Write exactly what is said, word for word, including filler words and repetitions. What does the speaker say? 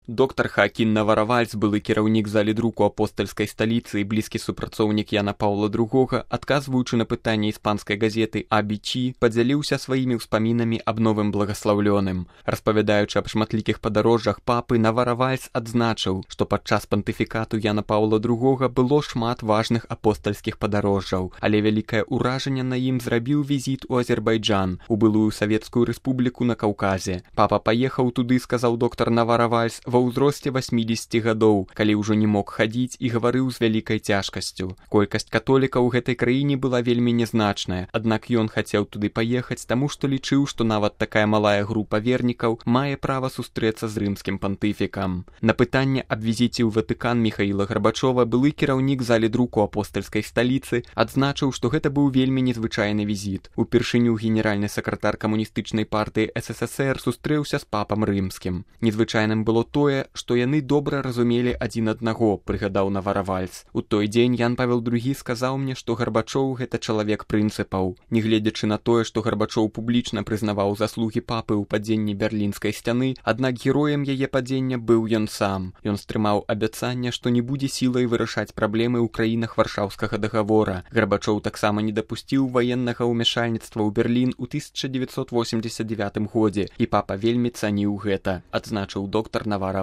Доктар Хаакін Наваравальс, былы кіраўнік залідруку апостальскай сталіцы і блізкі супрацоўнік Яна Паўла другога, адказваючы на пытанне іспанскай газеты «А Би Чи», падзяліўся сваімі ўспамінамі аб новым благаслаўлёным. Распавядаючы аб шматлікіх падарожжах папы, Наваравальс адзначыў, што падчас пантыфікату Яна Паўла другога было шмат важных апостальскіх падарожжаў, але вялікае ўражанне на ім зрабіў візіт у Азербайджан, у былую Савецкую рэспубліку на Каўказе. Папа паехаў туды, сказаў доктар Наваравальс, ва ўзросце васьмідзесяці гадоў, калі ўжо не мог хадзіць і гаварыў з вялікай цяжкасцю. Колькасць католікаў у гэтай краіне была вельмі нязначная, аднак ён хацеў туды паехаць, таму што лічыў, што нават такая малая група вернікаў мае права сустрэцца з рымскім пантыфікам. На пытанне аб візіце ў Ватыкан Міхаіла Гарбачова былы кіраўнік залідруку апостальскай сталіцы адзначыў, што гэта быў вельмі незвычайны візіт. Упершыню генеральны сакратар камуністычнай партыі эс эс эс эр сустрэўся з папам рымскім. Незвычайным было тое, што яны добра разумелі адзін аднаго, прыгадаў Наваравальс. У той дзень Ян Павел другі сказаў мне, што Гарбачоў гэта чалавек прынцыпаў. Нягледзячы на тое, што Гарбачоў публічна прызнаваў заслугі папы ў падзенні берлінскай сцяны, аднак героем яе падзення быў ён сам. Ён стрымаў абяцанне, што не будзе сілай вырашаць праблемы ў краінах Варшаўскага дагавора. Гарбачоў таксама не дапусціў ваеннага ўмяшальніцтва ў Берлін у тысяча дзевяцьсот восемьдесят девятым годзе, і папа вельмі цаніў гэта, адзначыў доктар Наваравальс.